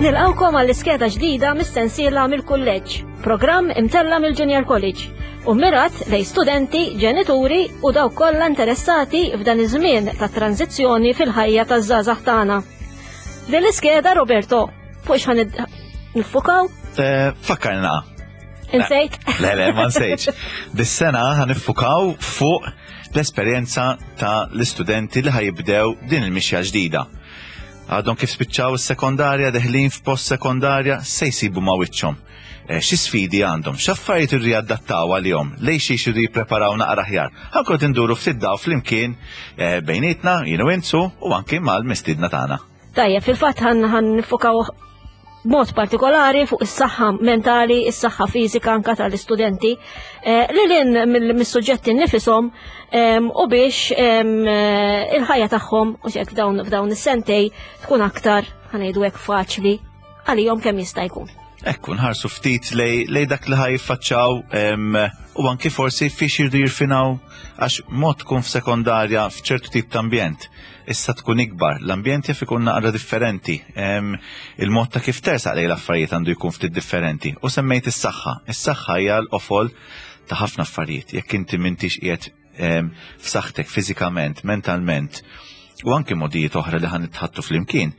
Nilqawkom għall-iskeda ġdida mis-sensiela mill-kulleġġ, programm imtella mill-Junior College u mirat lej studenti, ġenituri u dawk kollha interessati f'dan iż-żmien ta' tranzizzjoni fil-ħajja taż-żgħażagħ tagħna. Din l-iskeda Roberto, fuq x'ħan nifukaw? Eh, fakkarna. Insejt? Le, le, ma nsejtx. Dis-sena ħaniffukaw fuq l-esperjenza ta' l-istudenti li ħajibdew din il-mixja ġdida. Għadhom kif spiċċaw is-sekondarja deħlin f'post sekondarja se jsibu ma' wiċċhom. Eh, xi sfidi għandhom, x'affarijiet irridu jadattaw għalihom, lejn xiex irridu jippreparaw naqra aħjar. Ħankun induru ftit daw flimkien eh, bejnietna, jien u intu, u anki mal-mistiedna tagħna. Tajjeb, fil-fatt ħan nifukaw mod partikolari fuq is-saħħa mentali, is-saħħa fiżika anka tal-istudenti, eh, li lin mill-suġġetti nifisom u biex il-ħajja tagħhom u xek f'dawn is-sentej tkun aktar ħanejdu hekk faċli għalihom kemm jista' jkun. Ekku, nħarsu ftit lej dak li ħaj jiffaċċaw u anki forsi fiex jirdu jirfinaw għax mod tkun f'sekondarja f'ċertu tip ta' ambjent. Issa tkun ikbar, l-ambjent jaf ikun naqra differenti. Il-mod ta' kif tersaq lej l-affarijiet għandu jkun ftit differenti. U semmejt is-saħħa. Is-saħħa hija l-qofol ta' ħafna affarijiet. Jekk inti m'intix qiegħed f'saħħtek fiżikament, mentalment, u anki modijiet oħra li ħan nitħattu flimkien,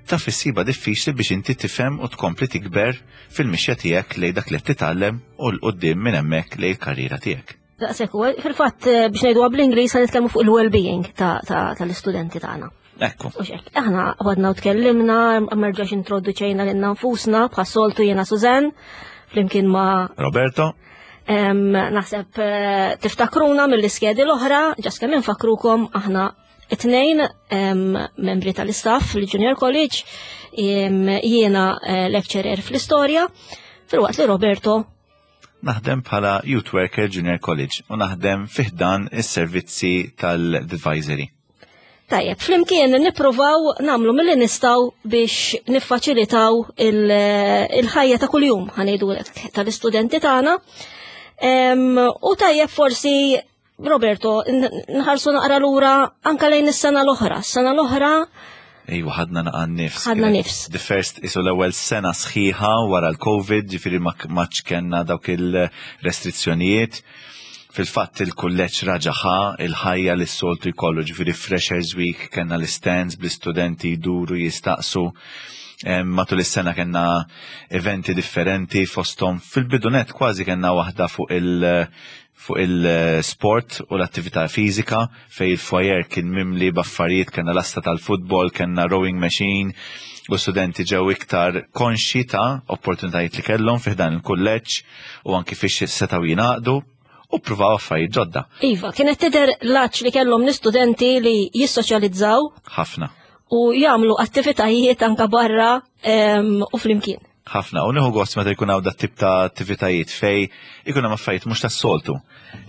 taf issiba diffiċli biex inti tifhem u tkompli tikber fil-mixja tiegħek lejn dak li qed titgħallem u 'l quddiem minn hemmhekk lejn il-karriera tiegħek. Daqshekk u fil-fatt eh, biex ngħidu bl-Ingliż se nitkellmu fuq il-well-being tal-istudenti tagħna. Ekku. U xek, aħna għadna u tkellimna, merġax introduċejna lilna nfusna, bħas-soltu jiena Suzanne, flimkien ma' Roberto. Naħseb eh, tiftakruna mill-iskedi l-oħra, ġas kemm infakrukom aħna it-tnejn membri tal-istaff fil-Junior College, jiena eh, lecturer fl-istorja, fil-waqt li Roberto Naħdem bħala Youth Worker Junior College u naħdem fiħdan is-servizzi tal-advisory. Tajjeb, flimkien nippruvaw nagħmlu milli nistgħu biex niffaċilitaw il-ħajja ta' kuljum ħanejdu tal-istudenti tagħna. U tajjeb forsi Roberto, nħarsu naqra lura anka lejn is-sena l-oħra. Sena l-oħra Ejwa, ħadna naqa nifs. Ħadna nifs. The first, isu l-ewwel sena sħiħa wara l-Covid, ġifieri ma kellna dawk il-restrizzjonijiet. Fil-fatt il-kulleġġ raġa' ħa il-ħajja li s-soltu jkollu, ġifieri Freshers Week kellna l-istands bl-istudenti jduru jistaqsu. Matul is-sena kellna eventi differenti fosthom fil-bidunet kważi kellna waħda fuq il- fuq il-sport u l-attività fiżika fej il-foyer kien mimli b'affarijiet kellna lasta tal-futbol, kellna rowing machine u studenti ġew iktar konxji ta' opportunitajiet li kellhom fi ħdan il-kulleġġ u anki fiex setgħu jingħaqdu u ppruvaw affarijiet ġodda. Iva, kienet tidher l-għatx li kellhom l-istudenti li jissoċjalizzaw. Ħafna. U jagħmlu attivitajiet anka barra u flimkien. Ħafna, u nieħu gost meta jkun hawn dat-tip ta' attivitajiet fej ikun hemm affarijiet mhux tas-soltu.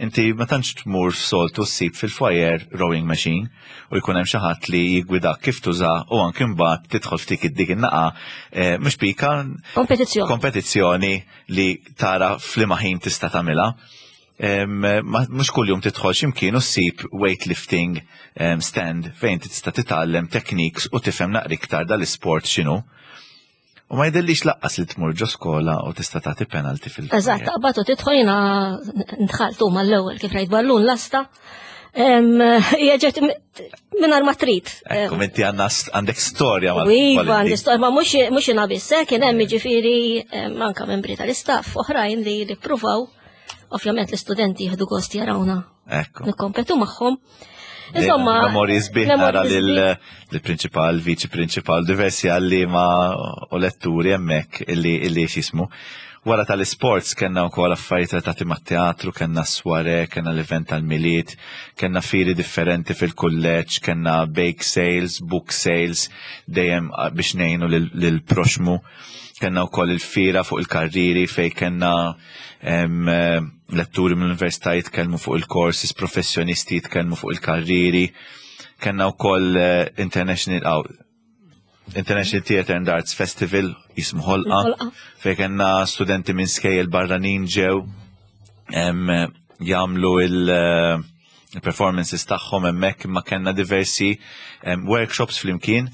Inti ma tantx tmur soltu ssib fil-foyer rowing machine u jkun hemm xi ħadd li jiggwidak kif tuża u anki mbagħad tidħol ftik id-dik in-naqa eh, mhux pika. Kompetizzjoni. Kompetizzjoni li tara f'liema ħin tista' tagħmilha. Mhux kuljum tidħol x'imkien u ssib weightlifting stand fejn tista' titgħallem techniques u tifhem naqra iktar dal-isport x'inhu. U ma jidhirlix laqqas li tmur ġo skola u tista' tagħti penalty fil Eżatt, taqbad u tidħol jiena ndħaltu mal-ewwel kif rajt ballun lasta. Hija ġiet mingħajr ma trid. Ekku, inti għandna għandek storja mal Iva, għandi storja, ma mhux jiena biss, eh, kien hemm jiġifieri anke membri tal-istaff oħrajn li li ppruvaw. Ovvjament l-istudenti jieħdu gost jarawna. Ekku. Nikkompetu magħhom. Insomma, memorji sbieħ nara lill-prinċipal, viċi prinċipal, diversi għalliema u letturi hemmhekk illi illi x'ismu. Wara tal-isports kellna wkoll affarijiet relatati mat-teatru, kellna sware, kellna l-event tal-Milied, kellna fieri differenti fil-kulleġġ, kellna bake sales, book sales, dejjem biex ngħinu lill-proxmu. Kellna wkoll il-fiera fuq il-karrieri fejn kellna letturi mill-università jitkellmu fuq il-courses, professjonisti jitkellmu fuq il-karrieri. Kellna wkoll eh, International oh, International Theatre and Arts Festival jismu ħolqa fejn kellna studenti minn skejjel barranin ġew jagħmlu il- eh, il-performances tagħhom hemmhekk imma kellna diversi workshops flimkien.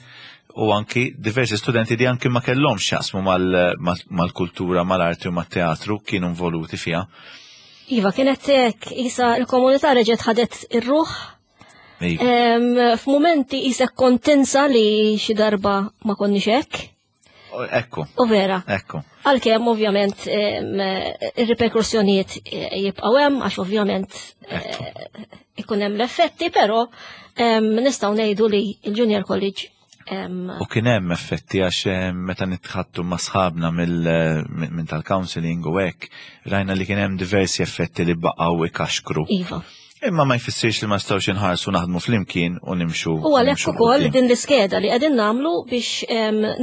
U anki diversi studenti li anki ma kellhomx x'jaqsmu mal-kultura, mal-arti u mat-teatru kienu involuti fiha. Iva, kienet hekk, isa l-komunità reġgħet ħadet ir-ruħ. Iva. F'mumenti isek kont tinsa li xi darba ma konniex hekk. Ekku. U vera. Ekku. Għalkemm ovvjament ir-riperkussjonijiet eh, jibqgħu hemm għax ovvjament eh, ikun hemm l-effetti, però nistgħu ngħidu li l-Junior College. U kien hemm effetti għax meta nitħattu ma' sħabna minn tal-counseling u hekk, rajna li kien hemm diversi effetti li baqgħu ikaxkru. Iva. Imma ma jfissirx li ma nistgħux inħarsu naħdmu flimkien u nimxu. U għalhekk ukoll din l-iskeda li qegħdin nagħmlu biex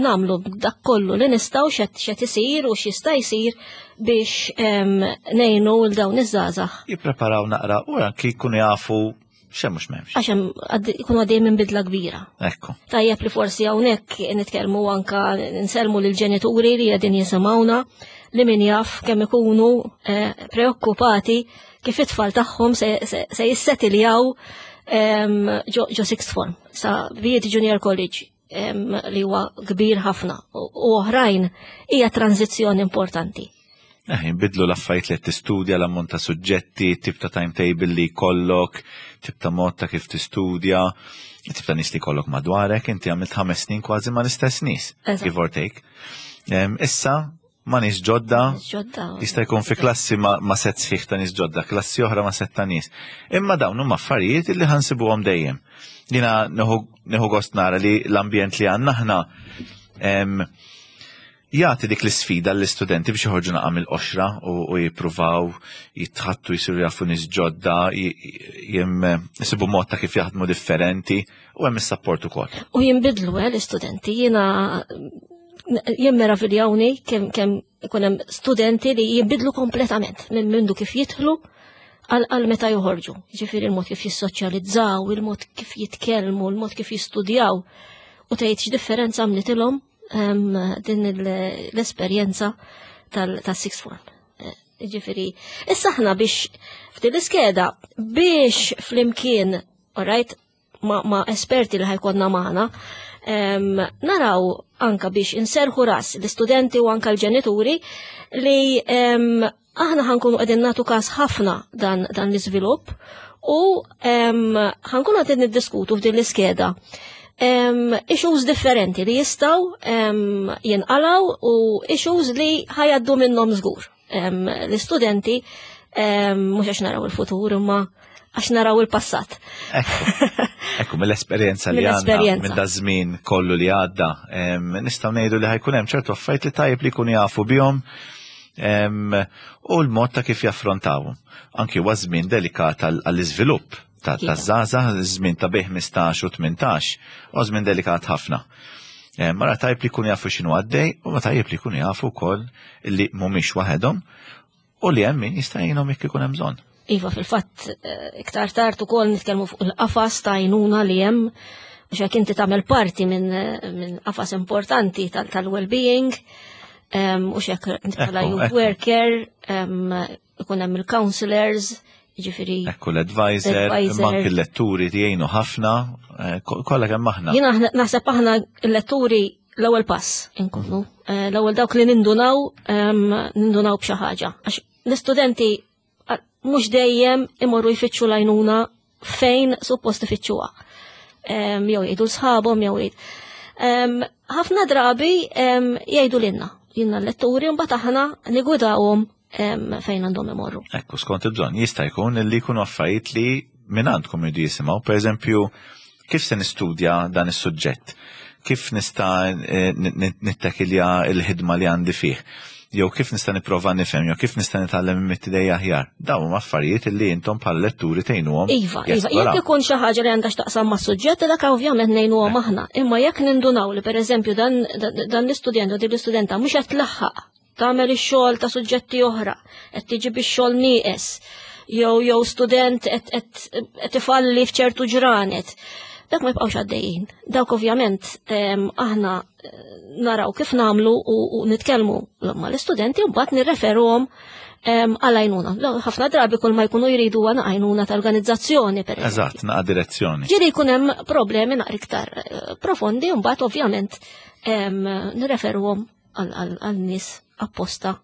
nagħmlu dak kollu li nistgħu x'qed isir u x'jista' jsir biex ngħinu l dawn iż-żgħażagħ. Jippreparaw naqra u anki jkunu jafu x'hemm mhux m'hemmx. Għax hemm jkunu għaddej minn bidla kbira. Ekku. Tajjeb li forsi hawnhekk nitkellmu anka nsellmu lill-ġenituri li qegħdin jisimgħuna li min jaf kemm ikunu eh, preokkupati kif it-tfal tagħhom se, se, se jissetiljaw ġo, ġo sixth form, sa Viet Junior College li huwa kbir ħafna u oħrajn hija tranzizzjoni importanti. Eh, jinbidlu l-affarijiet li qed tistudja, l-ammont ta' suġġetti, tip ta' timetable li jkollok, tip ta' mod ta' kif tistudja, tip ta' nies li jkollok madwarek, inti għamilt ħames snin kważi ma' l-istess nies, give or take. Issa, ma' nies ġodda, jista' jkun fi klassi ma', ma set sħiħ ta' nies ġodda, klassi oħra ma' set ta' nies. Imma dawn huma affarijiet li ħansibuhom dejjem. Jiena nieħu gost nara li l-ambjent li għandna aħna jagħti dik l-isfida l-istudenti biex joħorġu naqa' mill-qoxra u jippruvaw jitħattu jsiru jafu nies ġodda, jisibu mod ta' kif jaħdmu differenti u hemm is-sapport ukoll. U jinbidlu eh, l-istudenti, jiena jien meraviljawni kemm kemm ikun hemm studenti li jinbidlu kompletament minn mindu kif jidħlu għal meta joħorġu. Ġifieri il-mod kif jissoċjalizzaw, il-mod kif jitkellmu, il-mod kif jistudjaw u tgħid x'differenza għamlitilhom ehm, din l-esperjenza tal-sixth form. Eh, ġifieri, issa aħna biex f'din l-iskeda biex flimkien, alright, ma, ma esperti li ħajkonna maħna, naraw anka biex inserħu ras l-istudenti u anka l-ġenituri li aħna ħankunu qegħdin nagħtu każ ħafna dan, dan l-iżvilupp u ħankunu qegħdin niddiskutu f'din l-iskeda issues differenti li jistaw jinqalaw u issues li ħajaddu minnhom żgur. L-istudenti mhux għax naraw il-futur imma għax naraw il-passat. Ekku, mill-esperjenza li għandna, minn da żmien kollu li għadda, nistgħu ngħidu li ħajkun hemm ċertu affarijiet li tajjeb li jkunu jafu bihom u l-mod ta' kif jaffrontawhom. Anki huwa żmien delikat għall-iżvilupp ta' żgħażagħ, żmien ta' bejn 15 u 18, u żmien delikat ħafna. Mara tajb li jkunu jafu x'inhu għaddej u ma tajjeb li jkunu jafu wkoll li mhumiex waħedhom u li hemm min jista' jgħinhom jekk ikun hemm bżonn. Iva, fil-fatt, eh, iktar tard ukoll nitkellmu fuq il-qafas ta' għajnuna li hemm biex jekk inti tagħmel parti minn eh, min qafas importanti tal-well-being, u xek bħala youth worker, ikun hemm il-counselors, ġifiri. Ekku l-advisor, manki l-letturi jgħinu ħafna, eh, kollha kemm aħna. Jiena naħseb aħna l-letturi l-ewwel pass inkunu. Eh, l-ewwel dawk li nindunaw nindunaw b'xi ħaġa. Għax l-istudenti mhux dejjem imorru jfittxu lajnuna fejn suppost ifittxuha. Jew jgħidu sħabhom jew jgħid. Ħafna drabi jgħidu lilna, jilna l-letturi mbagħad aħna nigwidawhom fejn għandhom imorru. Ekku, skont il-bżonn, jista' jkun li jkunu affarijiet li minn għandkom jridu jisimgħu, per eżempju, kif se nistudja dan is-suġġett? Kif nista' eh, nittakilja l-ħidma li għandi fih? Jew kif nista' nipprova nifhem, jew kif nista' nitgħallem mit-tidej aħjar. Dawn huma affarijiet li intom bħala letturi tgħinuhom. Iva, iva, jekk ikun xi ħaġa li għandha x'taqsam mas-suġġett, dak ovvjament ngħinuhom eh. aħna. Imma jekk nindunaw li pereżempju dan, dan l-istudent u din l-istudenta mhux qed tlaħħaq tagħmel ix-xogħol ta' suġġetti oħra, qed tiġi bix-xogħol nieqes, jew jew student qed ifalli f'ċertu ġranet. Dak ma jibqgħux għaddejjin. Dawk ovvjament aħna eh, naraw kif nagħmlu u nitkellmu mal-istudenti u mbagħad nirreferuhom għal għajnuna. Ħafna drabi kull ma jkunu jridu għana għajnuna ta' organizzazzjoni per Eżatt, naqa' direzzjoni. Ġieli jkun hemm problemi naqra iktar eh, profondi u mbagħad ovvjament nirreferuhom għal nies apposta.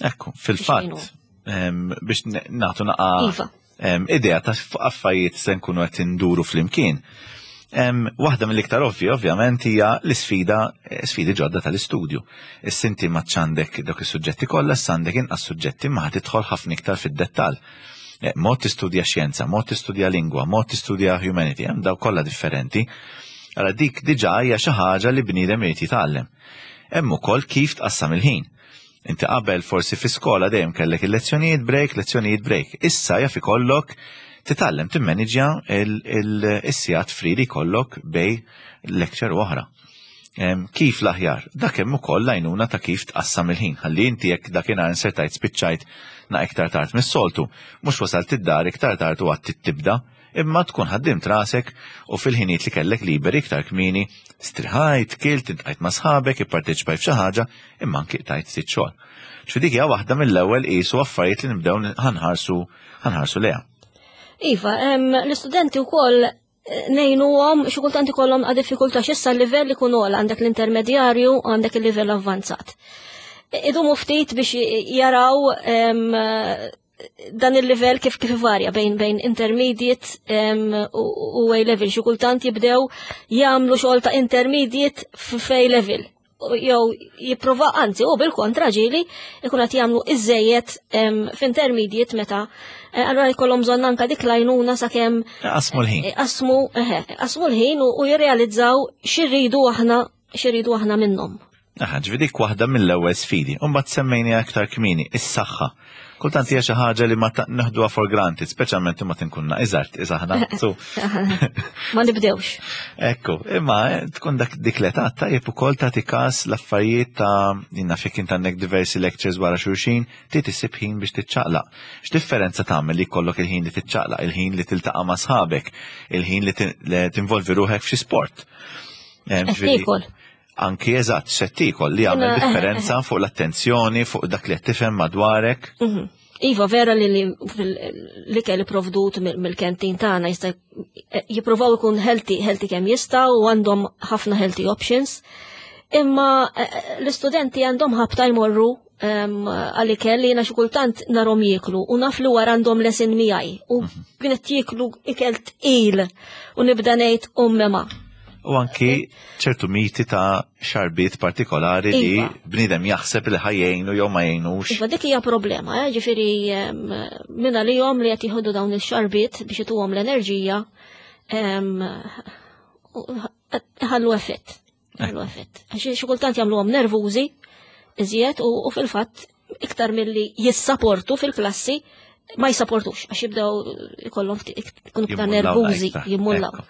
Ekku, fil-fatt, biex nagħtu naqa' iva. idea ta' affarijiet se nkunu qed induru flimkien. Waħda mill-iktar ovvi, ovvjament, hija l-isfida, eh, sfidi ġodda tal-istudju. Is-sinti ma għandek dawk is-suġġetti kollha, issa għandek inqas suġġetti ma tidħol ħafna iktar fid-dettall. Eh, mod tistudja xjenza, mod tistudja lingwa, mod tistudja humanity, hemm daw kollha differenti. Allora dik diġà hija xi ħaġa li bniedem irid jitgħallem. Hemm ukoll kif tqassam il-ħin. Inti qabel forsi fi skola dejjem kellek il-lezzjonijiet break, lezzjonijiet break. Issa jaf ikollok titgħallem timmaniġja il-sigħat free li jkollok bej lecture u oħra. Kif l-aħjar? Dak hemm ukoll l-għajnuna ta' kif tqassam il-ħin. Ħalli inti jekk dakinhar insertajt spiċċajt na iktar tard mis-soltu, mhux wasalt id-dar iktar tard u għad tibda, imma tkun ħaddimt rasek u fil-ħinijiet li kellek liberi iktar kmieni striħajt, kilt, iltqajt ma' sħabek, ipparteċipajt f'xi ħaġa, imma anki qtajt ftit xogħol. Ġifieri dik hija waħda mill-ewwel qisu affarijiet li nibdew ħanħarsu ħanħarsu lejha. Iva, l-istudenti wkoll eh, ngħinuhom xi kultant ikollhom għad diffikultà x'issa l-livell ikun ogħla għandek l-intermedjarju għandek il-livell avvanzat. Idumu ftit biex jaraw dan il-livell kif kif varja bejn bejn intermediate u A level xi kultant jibdew jagħmlu xogħol ta' intermediate f'A level jew jipprova anzi u bil-kontra ġieli ikun qed jagħmlu iżejjed f'intermediate meta eh, allura jkollhom bżonn anke dik l-għajnuna sakemm Qasmu l-ħin. Qasmu qasmu l-ħin u jirrealizzaw x'irridu aħna x'irridu aħna minnhom. Aha, ġifieri dik waħda mill-ewwel sfidi. U mbagħad semmejni aktar kmieni, is-saħħa. Kultant hija xi ħaġa li ma neħduha for granted, speċjalment imma tinkunna iżgħar iżaħna. Ma nibdewx. Ekku, imma eh, tkun dak dik l-età tajjeb ukoll tagħti każ l-affarijiet ta' jiena fik int għandek diversi lectures wara xulxin, ti tisib ħin biex tiċċaqlaq. X'differenza tagħmel li jkollok il-ħin li tiċċaqlaq, il-ħin li tiltaqa' ma' sħabek, il-ħin li tinvolvi ruħek f'xi sport. Eh, Tiekol. Anki eżatt, x'qed tiekol li jagħmel differenza fuq l-attenzjoni, fuq dak li qed tifhem madwarek. Mhm. Iva, vera li l-ikel provdut mill-kentin tagħna jista' jippruvaw ikun healthy, healthy kemm jista' u għandhom ħafna healthy options. Imma eh, eh, l-istudenti għandhom ħabta jmorru għal-ikel li jena xi kultant narhom jieklu u naf li wara għandhom lesin miegħi u mhm. kienet jieklu ikel tqil u nibda ngħid ummema. U anki ċertu miti ta' xarbiet partikolari li iva. bnidem jaħseb li ħajjejnu jew ma jgħinux. Iva dik hija problema, eh? ġifieri minna li jom li qed jieħdu dawn il-xarbiet biex ituhom l-enerġija ħallu effett. Għallu effett. Għax xi kultant jagħmluhom nervużi iżjed u fil-fatt iktar milli jissaportu fil-klassi ma jissaportux għax jibdew ikollhom ikunu iktar nervużi jimmullaw.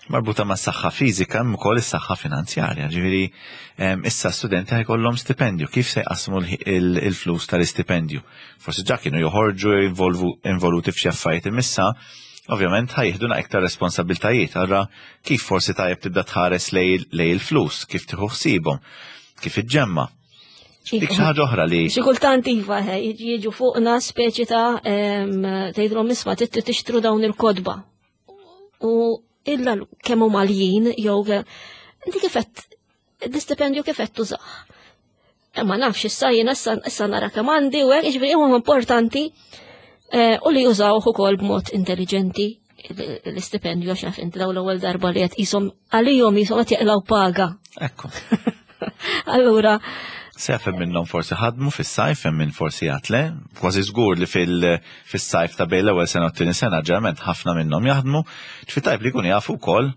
Marbuta ma' saħħa fiżika hemm ukoll is-saħħa finanzjarja, ġifieri issa studenti ħajkollhom stipendju, kif se jqassmu il-flus tal-istipendju? Forsi ġa kienu joħorġu involuti f'xi affarijiet imissa, ovvjament ħajħdu iktar responsabiltajiet, allura kif forsi tajjeb tibda tħares lej il-flus, kif tieħu ħsiebhom, kif iġġemma. Dik xi ħaġa oħra li. Xi kultant iva jiġu fuqna speċi ta' tgħidlhom isma' tixtru dawn il-kodba. U illa kemm huma għaljin jew inti kif qed l-istipendju kif qed tużah. Ma nafx issa jiena issa nara kemm għandi u hekk, jiġifieri huma importanti eh, u li jużawh ukoll b'mod intelligenti l-istipendju għax naf inti daw l-ewwel darba li qed qishom għalihom qishom qed jaqlaw paga. Ekku. Allura Sef hemm minnhom forsi ħadmu fis-sajf, hemm min forsi għad le, kważi żgur li fil-sajf ta' bejn l-ewwel sena u t-tieni sena ġeneralment ħafna minnhom jaħdmu, ġifi tajb li jkunu jafu wkoll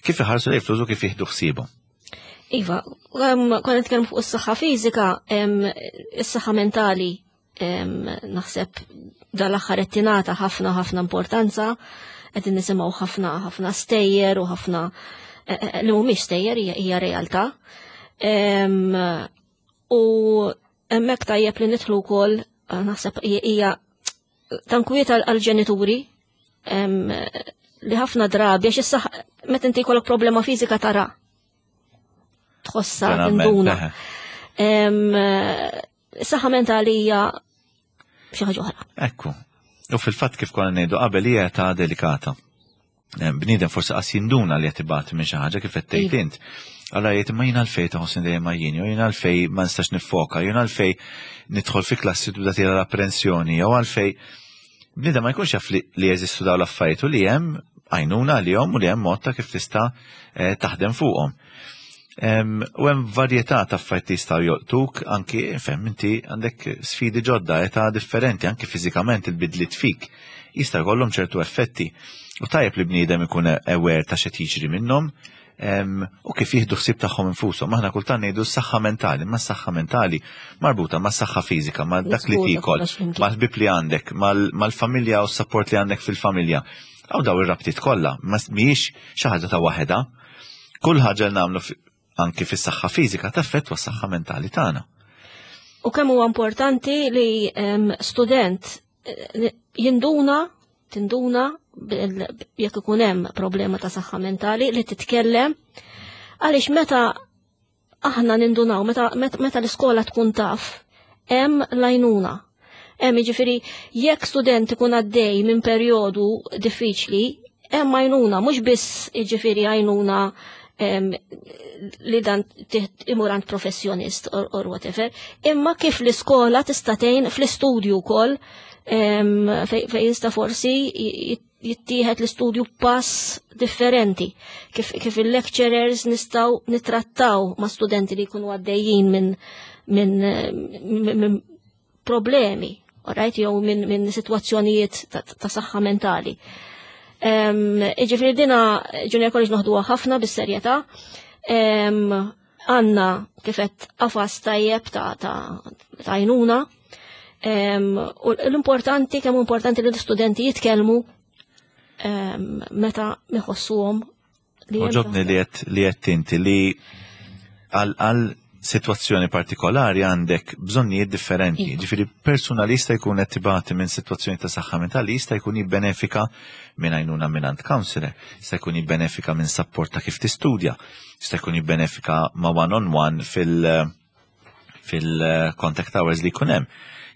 kif iħarsu lejn flus u kif jieħdu ħsiebhom. Iva, konna nitkellmu fuq is-saħħa fiżika, is-saħħa mentali naħseb dal-aħħar qed tingħata ħafna ħafna importanza, qed nisimgħu ħafna ħafna stejjer u ħafna e, e, e, li mhumiex stejjer hija realtà. U hemmhekk tajjeb li nidħlu wkoll naħseb hija tankwiet għall-ġenituri li ħafna drabi għax issa Meta inti jkollok problema fiżika tara. Tħossa tinduna. Saħħa mentali hija xi ħaġa oħra. Ekku. U fil-fatt kif konna ngħidu qabel hija ta' delikata. Bniedem forsi qas jinduna li qed ibati minn xi ħaġa kif qed tgħid iva. int. Allora jgħid imma jien għalfejn taħossni dejjem għajjien, jew jien għalfejn ma nistax nifoka, jien għalfejn nidħol fi klassi tibda tira l-apprensjoni, jew għalfejn bniedem ma jkunx jaf li jeżistu dawn l-affarijiet u li hemm għajnuna għalihom u li hemm mod ta' kif tista' eh, taħdem fuqhom. U hemm varjetà ta' affarijiet li jistgħu jolqtuk anki fem inti għandek sfidi ġodda, età differenti, anki fiżikament il-bidliet fik jista' jkollhom ċertu effetti. U tajjeb li bniedem ikun aware ta' x'qed jiġri minnhom u kif jieħdu ħsieb tagħhom infushom. Aħna kultant ngħidu s-saħħa mentali, ma s-saħħa mentali marbuta ma' s-saħħa fiżika, ma' dak li tiekol, mal-ħbieb li għandek, mal-familja u s-sapport li għandek fil-familja. Għaw daw ir-rabtiet kollha, ma mhijiex xi ħaġa ta' waħedha. Kull ħaġa li nagħmlu anki fis-saħħa fiżika taffettwa s-saħħa mentali tagħna. U kemm huwa importanti li student eh, jinduna tinduna jekk ikun hemm problema ta' saħħa mentali li titkellem għaliex meta aħna nindunaw meta, meta l-iskola tkun taf hemm lajnuna. Hemm jiġifieri jekk student ikun għaddej minn perjodu diffiċli, hemm għajnuna, mhux biss jiġifieri għajnuna li dan imur għand professjonist or, or whatever, imma kif l-iskola tista' tgħin fl-istudju wkoll fejn jista' forsi jittieħed l-istudju pass differenti, kif, kif il-lecturers nistaw nitrattaw ma' studenti li jkunu għaddejjin minn min, min, min problemi, alright, jew minn min situazzjonijiet ta', ta saħħa mentali. Iġifiri dina Junior College noħduha ħafna bis-serjetà. Għanna kifet qafas tajjeb ta' ta' għajnuna. U l-importanti, kemm importanti li l-istudenti jitkellmu meta iħossuhom li. Oġobni li qed li qed inti li għal situazzjoni partikolari għandek bżonnijiet differenti. Iva. Ġifieri persuna li jista' jkun qed tibati minn sitwazzjoni ta' saħħa mentali jista' jkun jibbenefika minn għajnuna minn għand counselor, jista' jkun jibbenefika minn support ta' kif tistudja, jista' jkun jibbenefika ma' one on one fil- fil-contact hours li jkun hemm,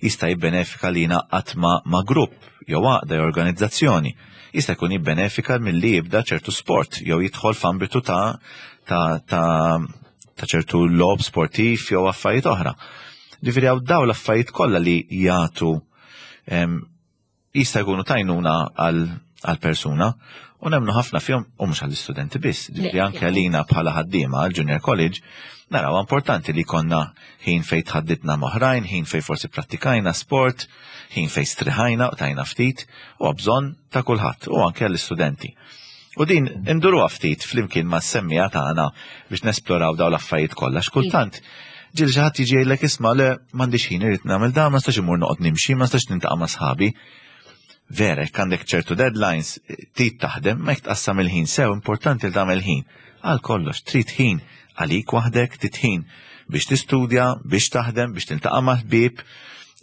jista' jibbenefika li jingħaqad ma', ma' grupp jew għaqda jew organizzazzjoni. Jista' jkun jibbenefika milli jibda ċertu sport jew jidħol f'ambitu ta' ta' ta' ta' ċertu logħob sportiv jew affarijiet oħra. Ġifieri hawn dawn l-affarijiet kollha li jagħtu jista' jkunu tajnuna għal persuna u nemmnu ħafna fihom u mhux għall-istudenti biss, ġifieri anke għalina bħala ħaddiema għal junior college naraw importanti li konna ħin fejn tħadditna m'oħrajn, ħin fejn forsi prattikajna sport, ħin fejn striħajna u tajna ftit u bżonn ta' kulħadd u anke għall-istudenti. U din induruha ftit flimkien ma' semmija tagħna biex nesploraw dawn l-affarijiet kollha x'kultant ġieli xi ħadd jiġi jgħidlek isma' le m'għandix ħin irid nagħmel dan, ma nistax imur noqgħod nimxi, ma nistax nintaqa' ma' sħabi. Vera, jekk għandek ċertu deadlines, trid taħdem, ma jekk tqassam il-ħin sew importanti li tagħmel ħin. Għal kollox, trid ħin għalik waħdek, trid ħin biex tistudja, biex taħdem, biex tiltaqa' ma' ħbieb,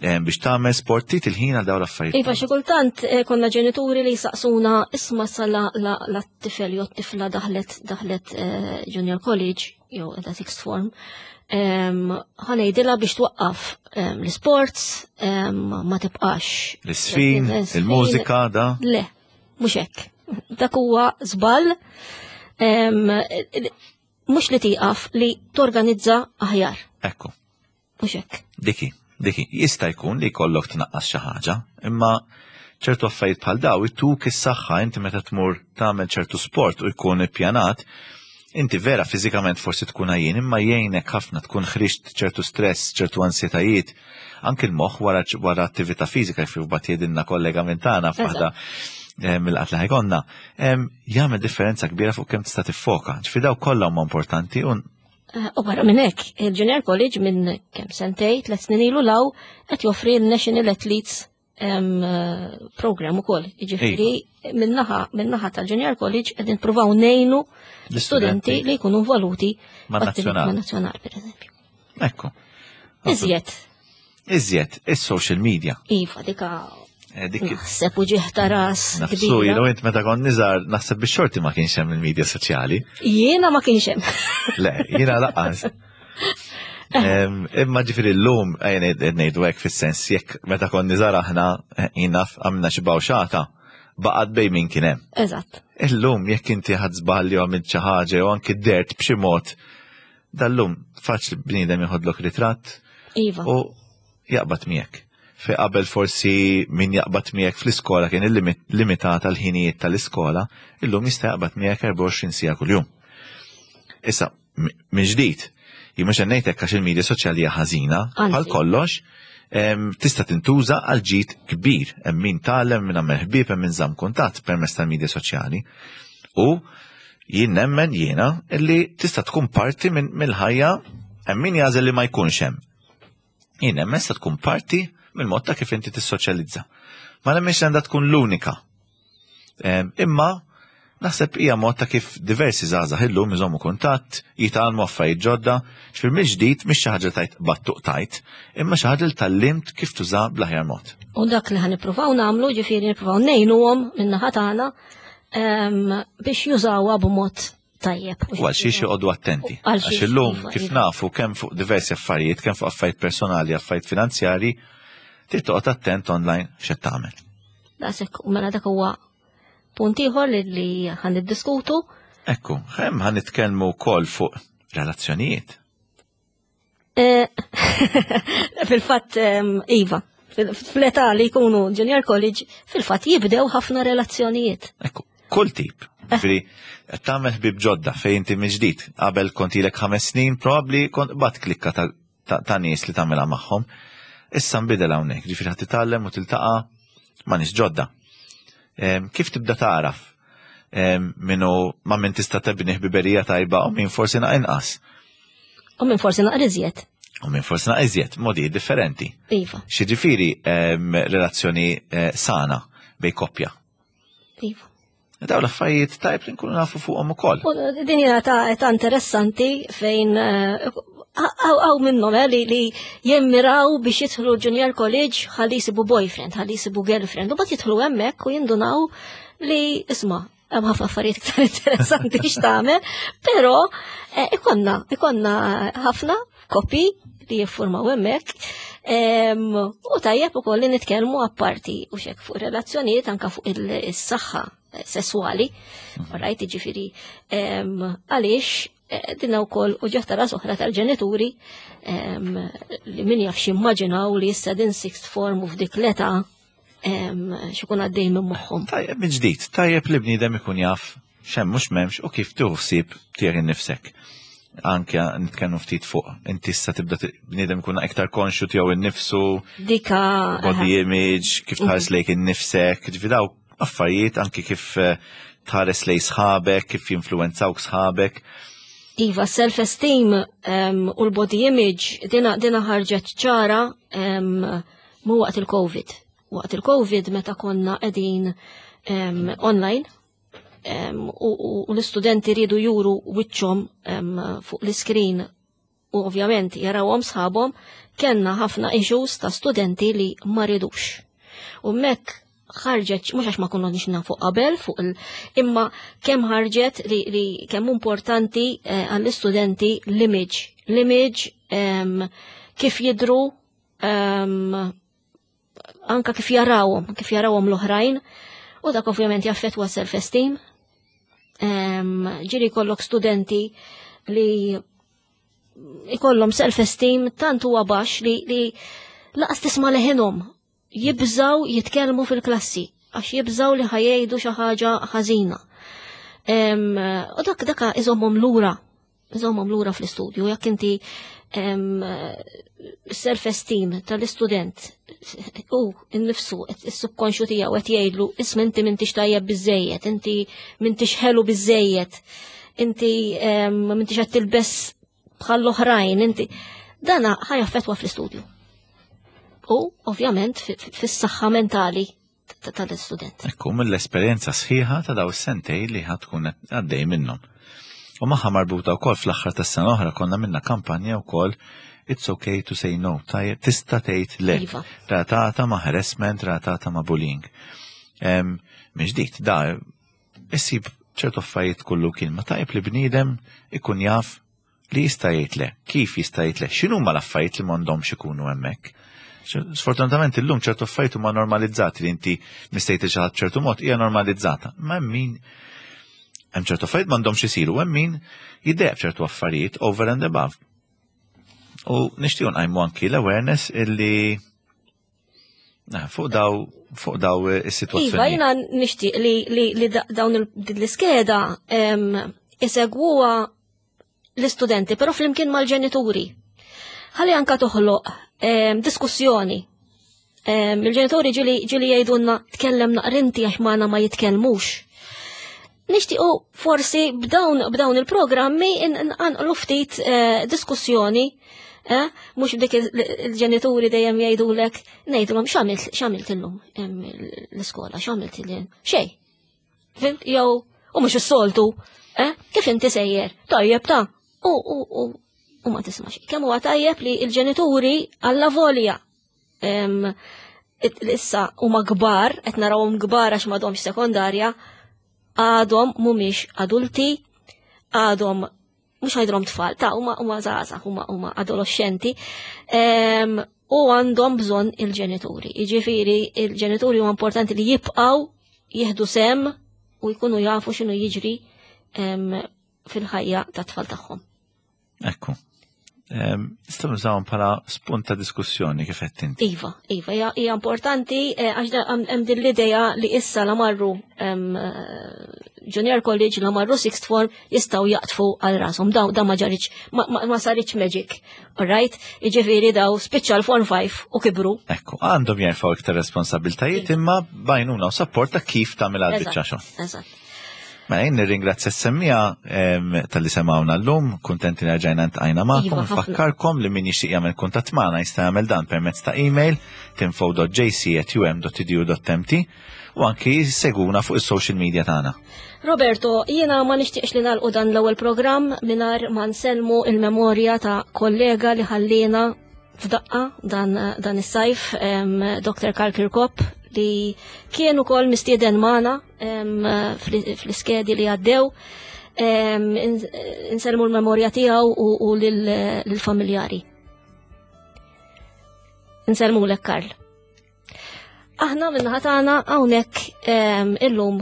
eh, biex tagħmel sport, trid il-ħin għal dawn l-affarijiet. Iva, xi kultant eh, konna ġenituri li jsaqsuna isma' sa la tifel jew tifla daħlet daħlet eh, junior college jew qiegħda sixth form, ħanejdilha biex twaqqaf l-sports, ma tibqax. L-isfin, il-mużika, da? Le, mhux hekk. Dak huwa żball mhux li tieqaf li torganizza aħjar. Ekku. Mhux hekk. Diki, diki, jista' jkun li jkollok tnaqqas xi ħaġa, imma ċertu affarijiet bħal daw ituk is-saħħa inti meta tmur tagħmel ċertu sport u jkun ippjanat, inti vera fiżikament forsi tkun għajjien imma jgħinek ħafna tkun ħriġt ċertu stress, ċertu ansjetajiet, anki l-moħħ wara wara attività fiżika kif bat jgħidilna kollega minn tagħna f'waħda eh, mill-qatt li ħajkonna, jagħmel differenza kbira fuq kemm tista' tiffoka. Ġifi daw kollha huma importanti u Eh, u barra minn hekk, il-Junior College minn kemm sentej, tliet snin ilu law qed joffri l-National Athletes eh, program ukoll. Jiġifieri iva. minnaħa minnaħa tal-Junior College qed nippruvaw ngħinu l-istudenti li jkunu involuti ma' nazzjonal pereżempju. Ekku. Iżjed. Iżjed, is-social media. Iva, dika. Eh, dik Naħseb u ġieħ ta' ras. Nafsu, jiena int meta kont niżar naħseb bix-xorti ma kienx hemm il-medja soċjali. Jiena ma kienx hemm. Le, jiena laqas. Imma ġifieri llum qed ngħidu hekk fis-sens jekk meta kont niżar aħna eh, jiena għamilna xi bawxata baqgħet bejn min kien hemm. Eżatt. Illum jekk inti ħadd żball jew għamilt xi ħaġa jew anki dert b'xi mod, dal-lum faċli bniedem jieħodlok ritratt. Iva. U jaqbad miegħek. Fejn qabel forsi min jaqbad miegħek fl-iskola kien illimitat għal ħinijiet tal-iskola, illum jista' jaqbad miegħek 24 siegħa kuljum. Issa, minn ġdid, jien mhux qed ngħid hekk għax il-media soċjali hija ħażina, bħal kollox, tista' tintuża għal ġid kbir, hemm min tgħallem, min għamel ħbieb, hemm min żamm kuntatt permezz tal-media soċjali. U jien nemmen jiena illi tista' tkun parti mill-ħajja hemm min jagħżel li ma jkunx hemm. Jien nemmen se tkun parti mill-mod ta' kif inti tissoċjalizza. Ma nemmenx li għandha tkun l-unika. Imma naħseb hija mod ta' kif diversi żgħażagħ illum iżommu kuntatt, jitgħallmu affarijiet ġodda, x'fir mill-ġdid mhix xi ħaġa tajt battuq tajt, imma xi ħaġa li tgħallimt kif tuża bl-aħjar mod. U dak li ħa nippruvaw nagħmlu, ġifieri nippruvaw ngħinuhom min-naħa tagħna biex jużawha b'mod tajjeb. U għal xiex joqogħdu attenti. Għax illum iva, kif iva. nafu kemm fuq diversi affarijiet, kemm fuq affarijiet personali, affarijiet finanzjari, trid toqgħod attent online x'qed tagħmel. Daqshekk u mela dak huwa punt ieħor li ħan niddiskutu. Ekku, hemm ħan nitkellmu wkoll fuq relazzjonijiet. Eh, fil-fatt, Iva, fl-età li jkunu junior college, fil-fatt jibdew ħafna relazzjonijiet. Ekku, kull tip. Eh. Ġifieri, tagħmel ħbib ġodda fejn inti mill-ġdid. Qabel kont ilek ħames snin, probabbli kont bat klikka ta' nies li tagħmilha magħhom. Issa nbidel hawnhekk, ġifieri ħadd titgħallem u tiltaqa' ma' nies ġodda. Kif tibda tagħraf minnu ma' min tista' tebni ħbiberija tajba u min forsi na' inqas. U min forsi naqra iżjed. U min forsi naqra iżjed, modi differenti. Iva. Xiġifieri relazzjoni eh, sana bej koppja. Iva. Daw l-affarijiet tajb li nkunu nafu fuqhom ukoll. U din hija ta' ta' interessanti fejn eh, għaw minnhom eh, li, li jemmiraw biex jidħlu junior college ħalli jsibu boyfriend, ħalli jsibu girlfriend, u bat jidħlu hemmhekk u jindunaw li isma' hemm ħafna affarijiet iktar interessanti x'tagħmel, però eh, ikonna ikonna ħafna koppji li jiffurmaw hemmhekk. U tajjeb ukoll li nitkellmu apparti u xek fuq relazzjonijiet anka fuq is-saħħa sesswali, rajt ġifieri għaliex eh, dinna wkoll u ġeħta ras oħra tal-ġenituri li min jaf x'immaġinaw li issa din sixth form u f'dik l-età xikun għaddej minn moħħhom. Tajjeb minn ġdid, tajjeb li bniedem ikun jaf xemm mhux m'hemmx u kif tieħu ħsieb tiegħek innifsek. Anke nitkellmu ftit fuq inti issa tibda bniedem ikun iktar konxju tiegħu innifsu. Dika. Body image, kif tħares lejk innifsek, ġifi daw affarijiet anke kif eh, tħares lej sħabek, kif jinfluwenzawk sħabek. Iva, self-esteem um, u l-body image dina, dina ħarġet ċara um, Mu waqt il-Covid. Waqt il-Covid meta konna qegħdin um, online um, u, u l-istudenti ridu juru wiċċhom um, fuq l-iskrin u ovvjament jarawhom sħabhom, kellna ħafna issues ta' studenti li ma ridux. U mek ħarġet, mhux għax ma konna nix nafu qabel fuq il imma kemm ħarġet li, li kemm importanti eh, għall-istudenti l-image, l-image um, kif jidru um, anka kif jarawhom, kif jarawhom l-oħrajn, u dak ovvjament jaffettwa self-esteem. Um, ġiri kollok studenti li ikollhom self-esteem tant huwa baxx li, li laqas tisma' leħinhom jibżaw jitkellmu fil-klassi għax jibżaw li ħajjejdu xi ħaġa ħażina. U dak daka iżommhom lura, iżommhom lura fl-istudju, jekk inti self-esteem tal-istudent u innifsu is-subkonxju tiegħu qed jgħidlu isma' inti m'intix tajjeb biżejjed, inti m'intix ħelu biżejjed, inti m'intix qed tilbes bħall-oħrajn, inti. Dana ħajaffetwa fl-istudju. U, ovvjament, fis-saħħa mentali tal-istudent. Ekku, mill-esperjenza sħiħa ta' daw is-sentej li ħad tkun għaddej minnhom. U magħha marbuta wkoll fl-aħħar tas-sena oħra konna minna kampanja wkoll It's okay to say no, tajjeb, tista' tgħid le. Iva. Ratata ma' harassment, ratata ma' bullying. Minn ġdid, da, issib ċertu affarijiet kullu kien ma tajjeb li bniedem ikun jaf li jista' jgħid le, kif jista' jgħid le, x'inhuma l-affarijiet li m'għandhomx ikunu hemmhekk. Sfortunatament illum ċertu affarijiet huma normalizzati li inti mistejt xi ħadd ċertu mod hija normalizzata. Ma hemm min hemm ċertu affarijiet m'għandhomx isiru, hemm min jiddeq ċertu affarijiet over and above. U nixtiequ nqajmu anki l-awareness illi fuq daw fuq daw is-sitwazzjoni. Iva, jiena nixtieq li, li, li dawn l-iskeda isegwuha l-istudenti, però flimkien mal-ġenituri. Ħalli anka toħloq diskussjoni. Il-ġenituri ġili ġili jgħidulna tkellem naqrinti għax magħna ma jitkellmux. Nixtiequ forsi b'dawn b'dawn il-programmi nqanqlu ftit eh, diskussjoni eh, mhux b'dik il-ġenituri dejjem jgħidulek ngħidulhom x'għamilt x'għamilt illum l-iskola, x'għamilt il xejn. Fimt? Jew u mhux is-soltu, eh? Kif inti sejjer? Tajjeb ta' u u u u ma tisma' xejn. Kemm huwa tajjeb li l-ġenituri alla volja issa huma kbar, qed narawhom kbar għax m'għadhomx sekondarja, għadhom mhumiex adulti, għadhom mhux għajdrom tfal, ta' huma huma żgħażagħ, huma huma adolescenti, u għandhom bżonn il-ġenituri. Jiġifieri il-ġenituri huma importanti li jibqgħu jieħdu sem u jkunu jafu x'inhu jiġri fil-ħajja tat-tfal tagħhom. Ekku. Nistgħu nużawhom bħala spunt ta' diskussjoni kif qed inti. Iva, iva, hija importanti eh, għax hemm din l-idea li issa la marru eh, junior college la marru sixth form jistgħu jaqtfu għal rashom. Daw da ma ġaritx ma saritx magic. Alright? Jiġifieri daw spiċċa l-form 5 u kibru. Ekku, għandhom jerfgħu iktar responsabiltajiet imma bajnuna u support ta' kif tagħmel għal biċċa xogħol. Eżatt. Mela jien nirringrazzja s-semmija tal-li semawna llum, kuntenti li rġajna ntqajna magħkom, Iva, ħafna. nfakkarkom li min jixtieq jagħmel kuntatt magħna jista' jagħmel dan permezz ta' email tinfo.jc@um.edu.mt u anki seguna fuq is-social media tagħna. Roberto, jiena ma nixtieqx li nagħlqu dan l-ewwel programm mingħajr ma nsellmu il-memorja ta' kollega li ħallina f'daqqa dan, dan is-sajf, Dr. Karl Kirkop, li kien ukoll mistieden magħna fl-iskedi li għaddew. Insellmu l-memorja tiegħu u lill-familjari. Insellmu lek Karl. Aħna minnaħa tagħna hawnhekk illum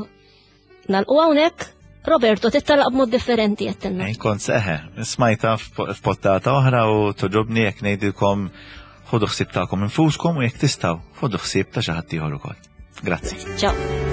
nalqu hawnhekk Roberto, tittalaq b'mod differenti għattenna. Kont seħe, smajta f'pottata oħra u toġobni jekk ngħidilkom ħodu ħsieb tagħkom infuskom u jekk tistgħu ħodu ħsieb ta' xi ħadd ieħor ukoll. Grazzi. Ciao.